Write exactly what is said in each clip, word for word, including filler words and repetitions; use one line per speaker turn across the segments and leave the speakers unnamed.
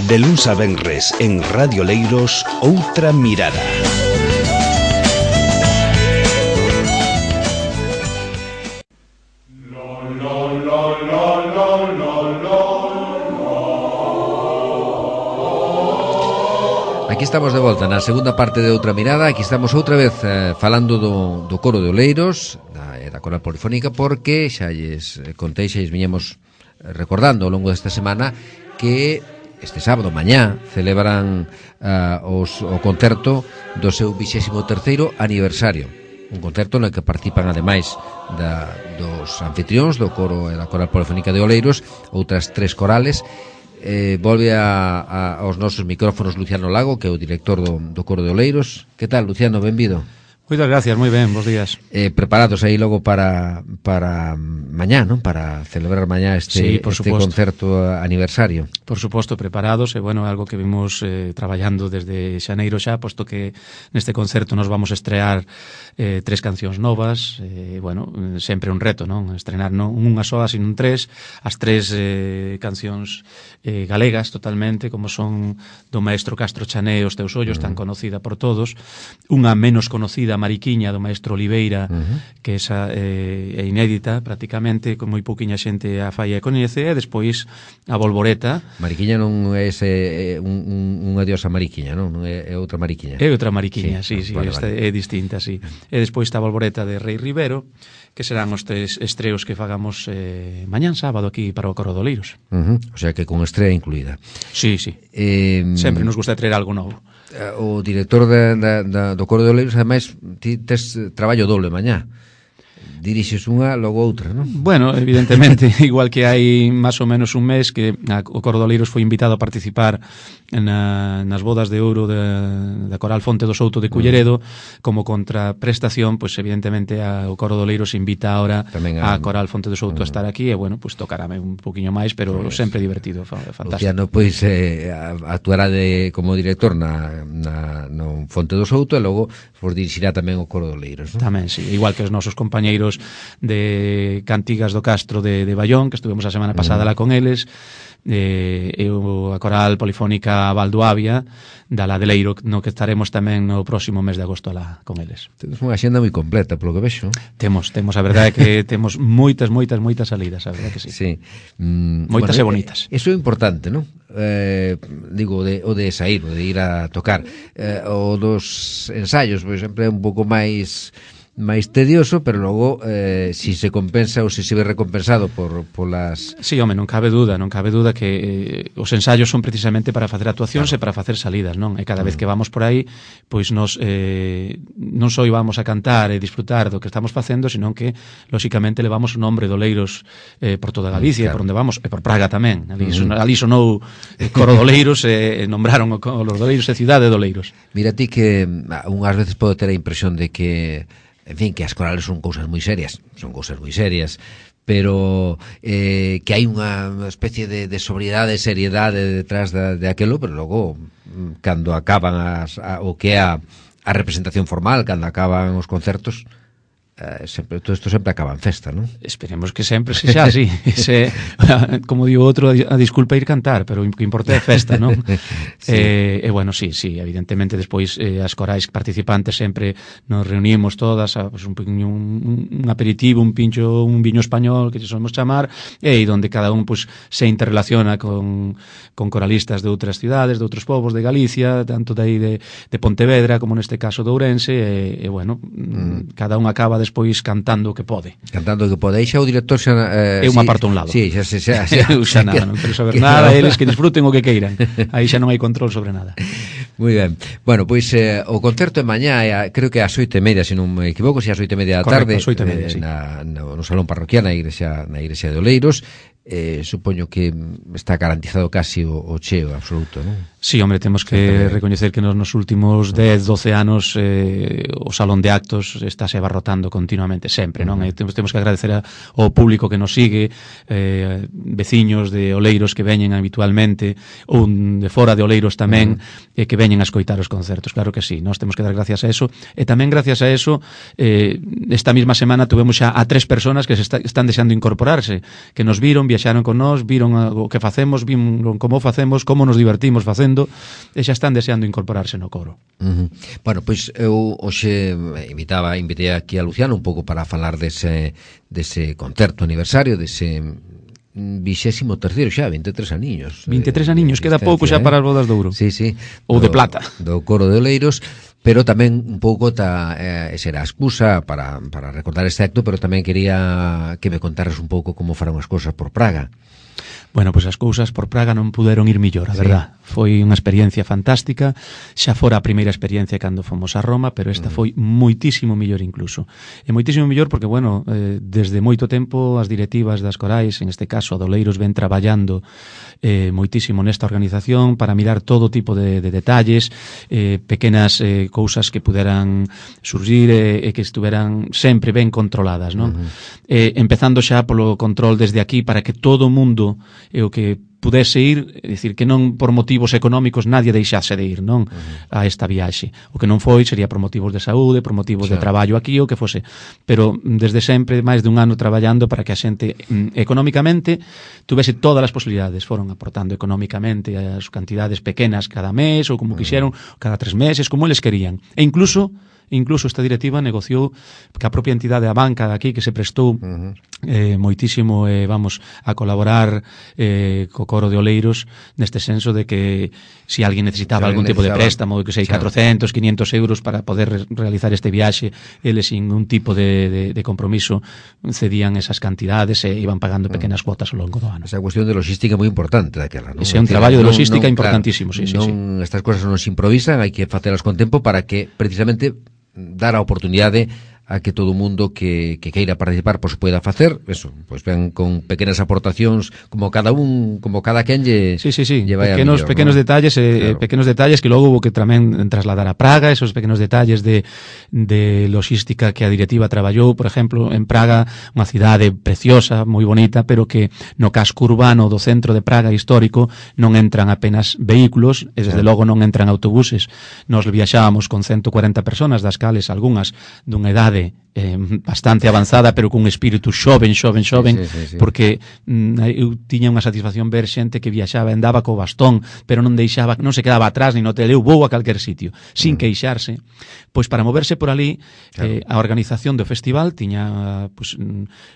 De luns a venres en Radio Oleiros, Outra Mirada.
Aquí estamos de volta na segunda parte de Outra Mirada. Aquí estamos outra vez eh, falando do, do coro de Oleiros, da, da coral polifónica, porque xa lles contei, xa lles viñemos recordando ao longo desta semana que este sábado, mañá, celebran uh, os, o concerto do seu vixésimo terceiro aniversario. Un concerto no que participan, ademais da, dos anfitrións do coro e da coral polifónica de Oleiros, outras tres corales. Eh, volve a, a, aos nosos micrófonos Luciano Lago, que é o director do, do coro de Oleiros. Que tal, Luciano? Benvido.
Moitas gracias, moi ben, bons días.
Eh, preparados aí logo para para mañá, non? Para celebrar mañá este,
sí,
este concerto aniversario.
Por suposto, preparados, e bueno, algo que vimos eh, traballando desde xaneiro xa, posto que neste concerto nos vamos a estrear eh, tres cancións novas, e eh, bueno, sempre un reto, non? Estrenar non unha soa, sino tres, as tres eh, cancións eh, galegas totalmente, como son do maestro Castro Chané, Os teus ollos, uh -huh. tan conocida por todos, unha menos conocida, Mariquiña, do maestro Oliveira, uh -huh. que esa eh, é inédita prácticamente, con moi pouquiña xente a fai e coñece, e despois a Volvoreta.
Mariquiña non é ese, un, un, unha diosa Mariquiña, non? Non é, é outra Mariquiña.
É outra Mariquiña, sí, sí, sí,
vale,
esta
vale.
é distinta, sí. E despois está a Volvoreta de Rei Rivero, que serán os tres estreos que fagamos eh, mañán sábado aquí para o Coro de Oleiros.
Uh -huh. O sea que con estrela incluída.
Sí, sí.
Eh,
Sempre nos gusta traer algo novo.
O director da, da, da, do Coro de Oleiros, ademais, ti tes traballo doble mañá. Dirixes unha, logo outra, non?
Bueno, evidentemente, igual que hai máis ou menos un mes que a, o Coro de Oleiros foi invitado a participar na, nas bodas de ouro da, da Coral Fonte do Souto de Culleredo, como contraprestación, pois pues, evidentemente a, o Coro de Oleiros invita ahora a, a Coral Fonte do Souto uh -huh. a estar aquí, e bueno, pois pues, tocarame un poquinho máis, pero pues, sempre divertido, fantástico.
Luciano, pois, eh, actuará de, como director na, na, no Fonte do Souto, e logo pues, dirixirá tamén o Coro de Oleiros, non?
Tamén, sí, igual que os nosos compañeiros de Cantigas do Castro de, de Bayón, que estuvemos a semana pasada uh -huh. lá con eles, eh, e a coral polifónica Valdoavia da Ladeleiro, no que estaremos tamén no próximo mes de agosto lá con eles.
Temos unha xenda moi completa, polo que vexo.
Temos, temos, a verdade é que temos moitas, moitas, moitas salidas, a verdade que sí.
Sí. Mm,
moitas
bueno,
e bonitas.
Eso é importante, non? Eh, digo, de, o de sair, o de ir a tocar. Eh, o dos ensaios, por exemplo, é un pouco máis máis tedioso, pero logo eh, si se compensa ou se se ve recompensado por polas...
Sí, home, non cabe duda, non cabe duda que eh, os ensaios son precisamente para facer actuacións claro. e para facer salidas, non? E cada vez que vamos por aí, pois nos eh, non só vamos a cantar e disfrutar do que estamos facendo, senón que, lóxicamente, levamos o nombre de Oleiros eh, por toda Galicia, claro. e por onde vamos, e por Praga tamén. Ali, uh -huh. ali sonou eh, Coro de Oleiros e eh, nombraron os de Oleiros e Cidade de Oleiros.
Mira ti que unhas veces pode ter a impresión de que en fin, que as corales son cousas moi serias, son cousas moi serias, pero eh, que hai unha especie de, de sobriedade, seriedade detrás de, de aquelo, pero logo, cando acaban as, a, o que é a, a representación formal, cando acaban os concertos, eh, sempre, todo isto sempre acaba en festa, non?
Esperemos que sempre se xa así. Ese, como digo outro, a disculpa ir cantar, pero o que importa é festa, non? sí. E eh, eh, bueno, sí, sí, evidentemente despois eh, as corais participantes sempre nos reunimos todas a pues, un, un, un aperitivo, un pincho, un viño español que se solemos chamar, e aí donde cada un pues, se interrelaciona con, con coralistas de outras cidades, de outros povos de Galicia, tanto de aí de, de Pontevedra como neste caso de Ourense, e, e bueno, mm. cada un acaba despois cantando o que pode.
Cantando o que pode. Aí xa o director xa...
Eh, Eu me aparto a un lado.
Sí, xa, xa, xa, xa,
Eu xa nada, non quero saber nada, eles que disfruten o que queiran. Aí xa non hai control sobre nada.
Moi ben. Bueno, pois eh, o concerto é mañá, é, creo que ás oito e media, se non me equivoco, se ás oito e media da tarde.
Correcto, oito e media,
eh,
sí.
na, no, no Salón Parroquial, na igrexa, na igrexa de Oleiros. Eh, supoño que está garantizado casi o, o cheo absoluto, non?
Sí, hombre, temos que recoñecer que nos, nos últimos dez, doce anos eh, o Salón de Actos estáse abarrotando continuamente, sempre, non? Uh -huh. E temos, temos que agradecer a, ao público que nos sigue, eh, veciños de Oleiros que veñen habitualmente, ou de fora de Oleiros tamén, uh -huh. e que veñen a escoitar os concertos, claro que sí, nós temos que dar gracias a eso, e tamén gracias a eso, eh, esta mesma semana tuvemos xa a tres personas que se está, están deixando incorporarse, que nos viron, viaxaron con nós, viron o que facemos, viron como facemos, como nos divertimos facendo, e xa están deseando incorporarse no coro.
Uh -huh. Bueno, pois eu hoxe invitaba, invitei aquí a Luciano un pouco para falar dese, dese concerto aniversario, dese vixésimo terceiro xa, vinte e tres aniños.
vinte e tres aniños, queda pouco xa para as bodas de ouro.
Sí, sí.
Ou de plata.
Do coro de Oleiros, pero tamén un pouco ta, eh, esa era a excusa para, para recordar este acto, pero tamén quería que me contaras un pouco como foron as cousas por Praga.
Bueno, pois as cousas por Praga non puderon ir millor, a verdad. Sí. Foi unha experiencia fantástica, xa fora a primeira experiencia cando fomos a Roma, pero esta foi moitísimo millor incluso. E moitísimo millor porque, bueno, eh, desde moito tempo as directivas das corais, en este caso a Doleiros, ven traballando eh, moitísimo nesta organización para mirar todo tipo de, de detalles, eh, pequenas eh, cousas que puderan surgir e eh, que estuveran sempre ben controladas, non? Uh -huh. eh, empezando xa polo control desde aquí para que todo o mundo e o que pudese ir, é dicir, que non por motivos económicos nadie deixase de ir, non, uh-huh. a esta viaxe. O que non foi sería por motivos de saúde, por motivos claro. de traballo aquí, o que fose. Pero desde sempre, máis de un ano traballando para que a xente mm, económicamente tuvese todas as posibilidades. Foron aportando económicamente as cantidades pequenas cada mes, ou como uh-huh. quixeron, cada tres meses, como eles querían. E incluso Incluso esta directiva negociou que a propia entidade, a banca de aquí, que se prestou uh-huh. eh, moitísimo, eh, vamos, a colaborar eh, co coro de Oleiros, neste senso de que se si alguén necesitaba si algún tipo de préstamo, que sei, catrocentos, quinientos euros para poder re realizar este viaxe, eles sin un tipo de, de, de compromiso cedían esas cantidades e iban pagando pequenas cuotas ao longo do ano.
Esa cuestión de logística moi importante daquela, non?
Ese é un traballo de logística non, importantísimo,
claro,
sí, sí,
non,
sí.
Estas cousas non se improvisan, hai que facelas con tempo para que precisamente dar a oportunidade a que todo o mundo que, que queira participar pois poida facer, eso, pois ben con pequenas aportacións, como cada un, como cada quen lle
sí, sí, sí.
lle vai
pequenos,
a mellor,
pequenos
¿no?
detalles, eh, claro. pequenos detalles que logo hubo que tamén trasladar a Praga, esos pequenos detalles de, de logística que a directiva traballou, por exemplo, en Praga, unha cidade preciosa, moi bonita, pero que no casco urbano do centro de Praga histórico non entran apenas vehículos, e desde claro. logo non entran autobuses. Nos viaxábamos con ciento cuarenta personas, das cales algunhas dunha idade Eh, bastante avanzada, pero cun espírito xoven, xoven, xoven, sí, sí, sí, sí. porque mm, eu tiña unha satisfacción ver xente que viaxaba, andaba co bastón, pero non deixaba, non se quedaba atrás, nin no hotel, eu vou a calquer sitio, sin mm. queixarse. Pois para moverse por ali, claro. eh, a organización do festival tiña, pues,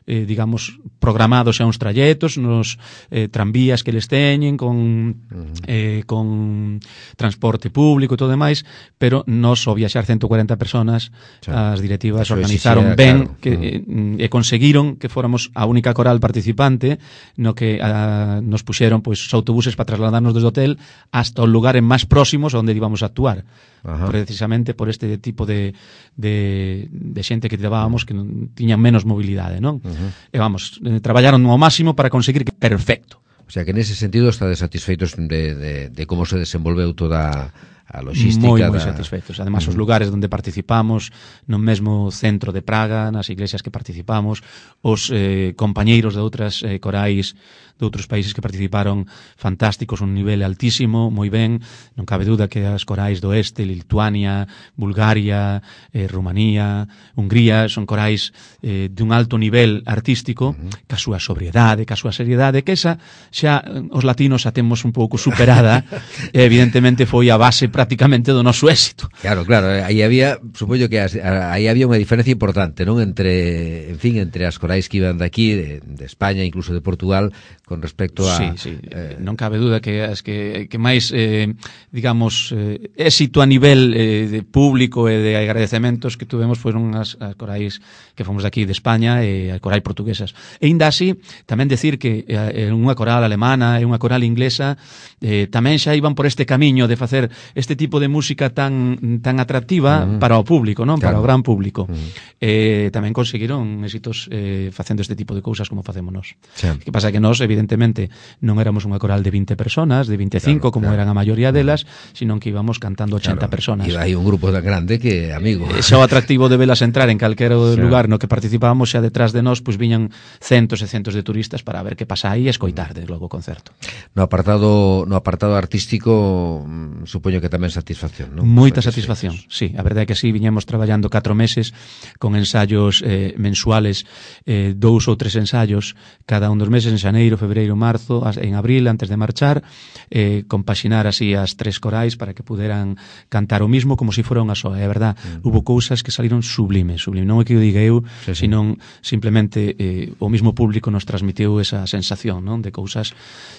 eh, digamos, programados xa uns trayectos nos eh, tranvías que les teñen, con, mm. eh, con transporte público e todo demais, pero nos, ao viaxar ciento cuarenta personas, claro. as directivas organizadas ben claro. que mm. e conseguiron que fóramos a única coral participante no que a, nos puxeron pois, os autobuses para trasladarnos desde o hotel hasta os lugares máis próximos onde íbamos a actuar. Ajá. Precisamente por este tipo de, de, de xente que levábamos que non tiñan menos mobilidade, non? Uh-huh. E vamos, eh, traballaron ao máximo para conseguir que perfecto.
O sea que nese sentido estades satisfeitos de, de, de como se desenvolveu toda a logística.
Moi, moi
da...
satisfeitos. Además, uh -huh. os lugares onde participamos, no mesmo centro de Praga, nas iglesias que participamos, os eh, compañeiros de outras eh, corais de outros países que participaron fantásticos, un nivel altísimo, moi ben, non cabe duda que as corais do Oeste, Lituania, Bulgaria, eh, Rumanía, Hungría, son corais eh, de un alto nivel artístico, uh -huh. ca súa sobriedade, ca súa seriedade, que esa xa os latinos a temos un pouco superada, e evidentemente foi a base prácticamente do noso éxito.
Claro, claro, aí había, supoño que aí había unha diferencia importante, non? Entre, en fin, entre as corais que iban de aquí, de, de España, incluso de Portugal, con respecto a...
Sí, sí, eh, non cabe duda que as que, que máis, eh, digamos, eh, éxito a nivel eh, de público e de agradecementos que tuvemos foron as, as corais que fomos de aquí de España e as corais portuguesas. E ainda así, tamén decir que eh, unha coral alemana e unha coral inglesa eh, tamén xa iban por este camiño de facer este tipo de música tan tan atractiva uh -huh. para o público, non? Claro. Para o gran público. Uh -huh. eh, tamén conseguiron éxitos eh, facendo este tipo de cousas como facemos nós. Sí. Que pasa que nós, evidentemente, non éramos unha coral de vinte personas, de vinte e cinco, claro, como claro. eran a maioría delas, sino que íbamos cantando ochenta claro. personas.
E hai un grupo tan grande que, amigo...
Eh, xa o atractivo de velas entrar en calquera sí. lugar no que participábamos, xa detrás de nós, pois viñan centos e centos de turistas para ver que pasa aí e escoitar desde logo o concerto.
No apartado, no apartado artístico, supoño que tamén satisfacción, non?
Moita satisfacción, sí. A verdade é que sí, viñamos traballando catro meses con ensayos eh, mensuales, eh, dous ou tres ensayos cada un dos meses, en xaneiro, febreiro, marzo, en abril, antes de marchar, eh, compaxinar así as tres corais para que puderan cantar o mismo como se si fora unha soa. É verdad, mm. hubo cousas que saliron sublimes, sublimes. Non é que o diga eu, sí, sí. Senón simplemente eh, o mismo público nos transmitiu esa sensación, non, de cousas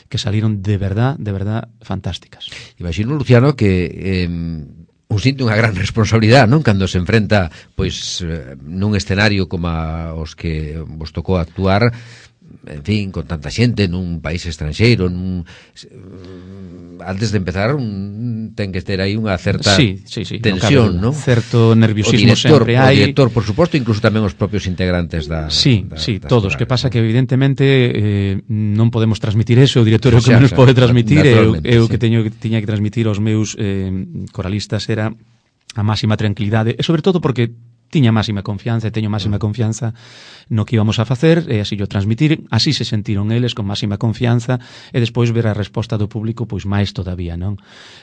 que saliron de verdad, de verdad fantásticas.
Imagino, Luciano, que eh, un sinte unha gran responsabilidade, non? Cando se enfrenta pois nun escenario como a os que vos tocou actuar, en fin, con tanta xente nun país estranxeiro, nun, antes de empezar un, ten que ter aí unha certa
sí, sí, sí,
tensión, non?
Certo nerviosismo
director,
sempre hai.
O director, por suposto, incluso tamén os propios integrantes da
Sí,
da,
sí,
das
todos,
corales,
que pasa
¿no?
que evidentemente eh, non podemos transmitir eso, o director é o que
xa,
menos
xa,
pode transmitir, e eu, eu
sí.
que teño que tiña que transmitir aos meus eh, coralistas era a máxima tranquilidade, e sobre todo porque tiña máxima confianza e teño máxima confianza no que íbamos a facer e así yo transmitir, así se sentiron eles con máxima confianza e despois ver a resposta do público pois máis todavía, non?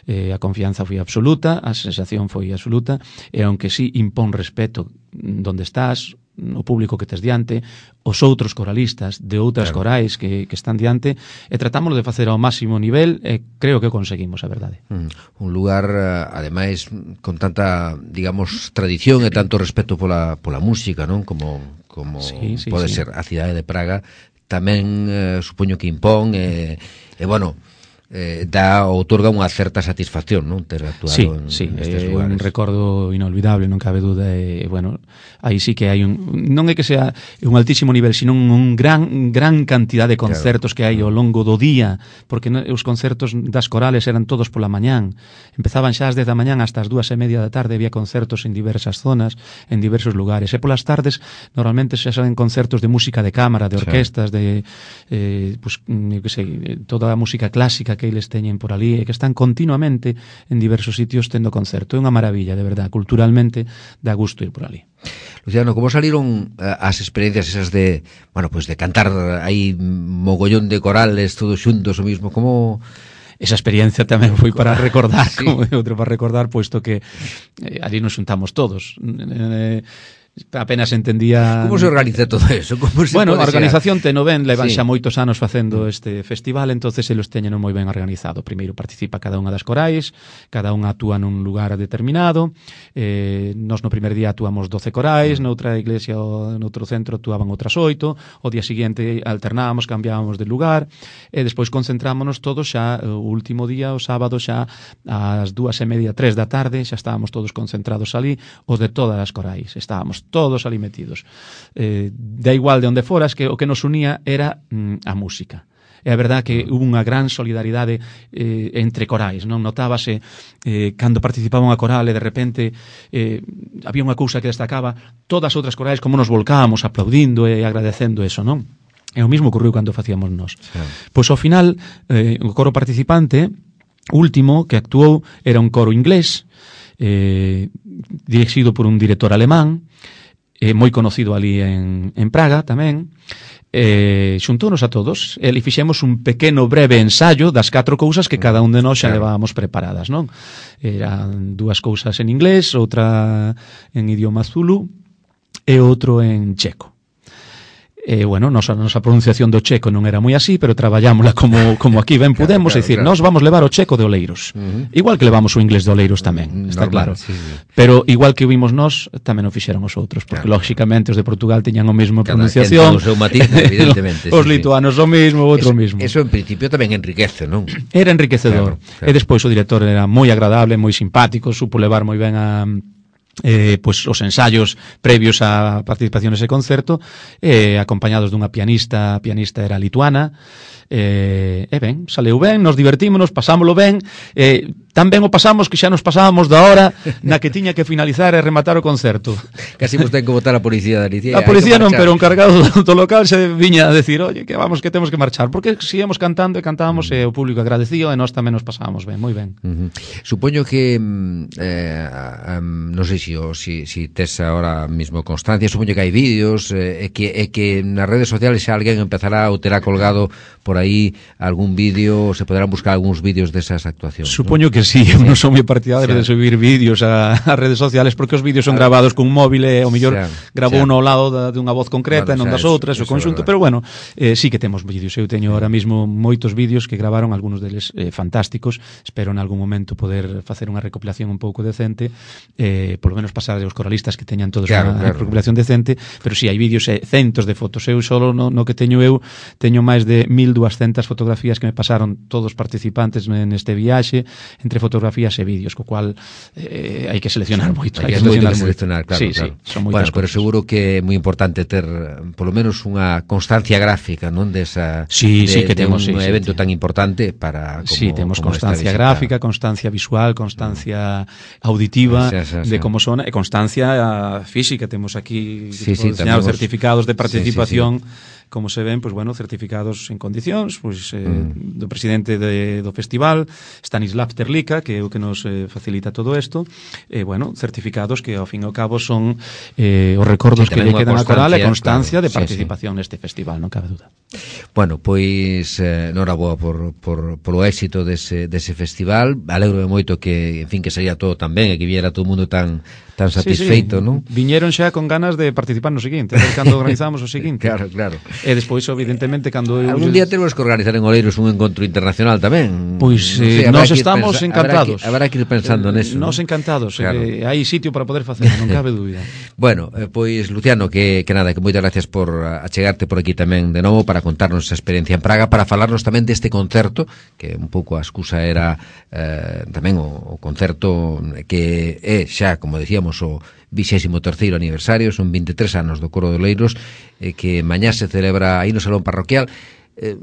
Eh, a confianza foi absoluta, a sensación foi absoluta e aunque sí impón respeto donde estás, o público que tes diante, os outros coralistas de outras claro. corais que, que están diante, e tratámoslo de facer ao máximo nivel e creo que conseguimos, a verdade.
Mm, un lugar, ademais, con tanta, digamos, tradición e tanto respeto pola, pola música, non? Como, como
sí, sí,
pode
sí.
ser a cidade de Praga, tamén eh, supoño que impón e, e bueno, eh, dá, outorga unha certa satisfacción, non? Ter actuado
sí,
en,
sí,
en estes
eh,
lugares.
Un recordo inolvidable, non cabe duda, e, bueno, aí sí que hai un, non é que sea un altísimo nivel, sino un gran gran cantidad de concertos claro. que hai ao longo do día, porque os concertos das corales eran todos pola mañán, empezaban xa ás dez da mañán hasta as dúas e media da tarde, había concertos en diversas zonas, en diversos lugares, e polas tardes normalmente xa saben concertos de música de cámara, de orquestas, sí. de eh, pues, eu que sei, toda a música clásica que eles teñen por ali e que están continuamente en diversos sitios tendo concerto. É unha maravilla, de verdad, culturalmente dá gusto ir por ali.
Luciano, como saliron uh, as experiencias esas de, bueno, pues de cantar aí mogollón de corales todos xuntos o mismo, como
esa experiencia tamén foi para recordar, sí. como outro para recordar, puesto que eh, ali nos xuntamos todos. Eh, apenas entendía...
Como se organiza todo eso? Como se
bueno, a organización teno ben, levan
sí.
xa moitos anos facendo este festival, entonces eles teñen moi ben organizado. Primeiro participa cada unha das corais, cada unha actúa nun lugar determinado, eh, nos no primer día actuamos doce corais, noutra iglesia ou noutro centro actuaban outras oito, o día seguinte alternábamos, cambiábamos de lugar, e despois concentrámonos todos xa o último día, o sábado xa ás dúas e media, tres da tarde, xa estábamos todos concentrados ali, os de todas as corais, estábamos todos ali metidos. Eh, da igual de onde foras, que o que nos unía era mm, a música. É a verdad que hubo unha gran solidaridade eh, entre corais, non? Notábase eh, cando participaba unha coral e de repente eh, había unha cousa que destacaba, todas as outras corais como nos volcábamos aplaudindo e agradecendo eso, non? E o mismo ocurriu cando facíamos nós. Sí. Pois ao final, eh, o coro participante último que actuou era un coro inglés, eh, dirixido por un director alemán, eh, moi conocido ali en, en Praga tamén, eh, xuntónos a todos e fixemos un pequeno breve ensayo das catro cousas que cada un de nós xa levábamos preparadas, non? Eran dúas cousas en inglés, outra en idioma zulu e outro en checo. E, eh, bueno, nosa, nosa pronunciación do checo non era moi así, pero traballámola como, como aquí ben pudemos, claro, claro, é dicir, claro. Nós vamos levar o checo de Oleiros, uh-huh. igual que levamos o inglés de Oleiros tamén, está
normal,
claro,
sí, sí.
Pero igual que vimos nós, tamén o fixeron os outros, porque claro. lógicamente os de Portugal teñan o mesmo
cada
pronunciación,
o seu matiz, evidentemente.
Os
sí,
lituanos sí. o mesmo, o outro
eso,
mesmo.
Eso en principio tamén enriquece, non?
Era enriquecedor,
claro, claro.
E despois o director era moi agradable, moi simpático, supo levar moi ben a... Eh, pues os ensayos previos á participación nese concerto, eh, acompañados dunha pianista, a pianista era lituana, eh, e ben, saleu ben, nos divertímonos, pasámoslo ben, eh, tan ben o pasamos que xa nos pasábamos da hora na que tiña que finalizar e rematar o concerto.
Casi vos ten que botar a policía da Alicia.
A policía non, pero o encargado do local se viña a decir, oye, que vamos, que temos que marchar, porque seguíamos cantando e cantábamos mm. e o público agradecido e nós tamén nos pasábamos ben, moi ben.
Uh-huh. Supoño que eh, um, non sei se o, si, si tes ahora mismo constancia, supoño que hai vídeos e eh, que, eh, que nas redes sociales xa alguén empezará ou terá colgado por aí algún vídeo, se poderán buscar algúns vídeos desas actuacións.
Supoño
¿no?
que sí, eu non son moi partidario de subir vídeos a, a redes sociales porque os vídeos son grabados cun móvil e o mellor grabou uno ao lado da, dunha voz concreta e non das outras, o conxunto, pero bueno, eh, sí que temos vídeos. Eu teño ahora mismo moitos vídeos que gravaron, algúns deles eh, fantásticos. Espero en algún momento poder facer unha recopilación un pouco decente, eh, polo menos pasar aos coralistas que teñan todos
claro,
unha claro. recopilación decente, pero sí, hai vídeos e eh, centos de fotos. Eu solo no, no que teño eu teño máis de mil duascentas fotografías que me pasaron todos os participantes neste viaxe, entre fotografías e vídeos, co cual eh, hai que seleccionar moito,
hai que
seleccionar
moito, seleccionar, claro,
sí,
claro.
Sí, son
bueno,
cosas.
Pero seguro que é moi importante ter polo menos unha constancia gráfica, non, desa
sí,
de,
sí, que
de
temos,
un
sí,
evento
sí,
tan importante para como,
sí, temos
como
constancia gráfica, constancia visual, constancia auditiva sí, sí, sí, de como son, e constancia física. Temos aquí
sí, sí,
tenemos certificados de participación,
sí, sí, sí.
Como se ven, pues bueno, certificados en condicións, pues eh, mm. do presidente de, do festival, Stanislav Terlika, que é o que nos eh, facilita todo isto, e eh, bueno, certificados que ao fin e ao cabo son eh, os recordos sí, que lle quedan a Coral e constancia claro, de participación sí, sí. neste festival, non cabe duda.
Bueno, pois eh, noraboa por, por, por o éxito dese, dese festival. Alegro moito que, en fin, que sería todo tan ben e que viera todo o mundo tan tan satisfeito, sí, sí. non?
Viñeron xa con ganas de participar no seguinte, a ver cando organizamos o seguinte.
Claro, claro.
E despois, evidentemente, cando...
Algún día temos que organizar en Oleiros un encontro internacional tamén.
Pois eh,
no
sei, nós estamos pensa, encantados.
Habrá que, habrá que ir pensando eh, neso.
Nós encantados, claro. eh, hai sitio para poder facer, non cabe dúbida.
Bueno, eh, pois, Luciano, que, que nada, que moitas gracias por achegarte por aquí tamén de novo para contarnos esa experiencia en Praga, para falarnos tamén deste concerto, que un pouco a excusa era eh, tamén o, o concerto que é xa, como decíamos, o vixésimo terceiro aniversario, son vinte e tres anos do Coro de Oleiros, eh, que mañá se celebra aí no Salón Parroquial. Eh,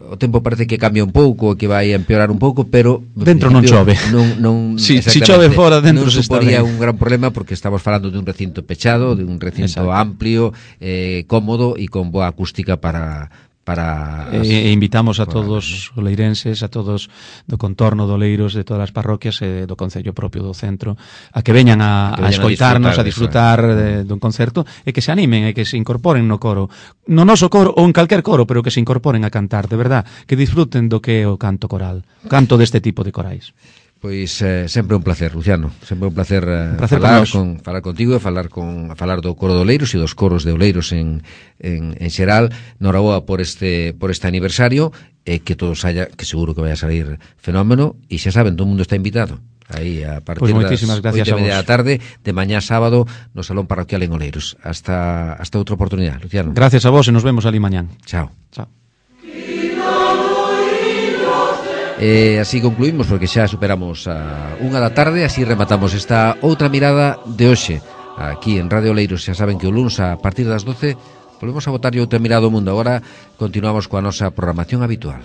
o tempo parece que cambia un pouco, que vai a empeorar un pouco, pero
dentro non chove.
Non, non,
si, si chove fora, dentro
non suporía un gran problema, porque estamos falando de un recinto pechado, de un recinto Exacto. amplio, eh, cómodo e con boa acústica para... para
as, e invitamos a todos os oleirenses, a todos do contorno de Oleiros, de todas as parroquias e do concello propio do centro, a que veñan a, que veñan a escoitarnos, a disfrutar, a disfrutar de, dun concerto, e que se animen e que se incorporen no coro, no noso coro ou en calquer coro, pero que se incorporen a cantar, de verdad, que disfruten do que é o canto coral, canto deste tipo de corais.
Pois eh, sempre un placer, Luciano, sempre un placer, eh,
un placer
falar con falar contigo e falar con falar do Coro de Oleiros e dos coros de Oleiros en en en xeral. Noraboa por este por este aniversario e que todo saia, que seguro que vai a salir fenómeno, e xa saben, todo o mundo está invitado. Aí a partir
pues das oito
e media da tarde de mañá sábado no Salón Parroquial en Oleiros. Hasta hasta outra oportunidade, Luciano.
Gracias a vos e nos vemos ali mañán.
Chao.
Chao.
E así concluímos, porque xa superamos a unha da tarde. Así rematamos esta outra mirada de hoxe aquí en Radio Oleiros. Xa saben que o luns a partir das doce volvemos a botarlle outra mirada ao mundo. Agora continuamos coa nosa programación habitual.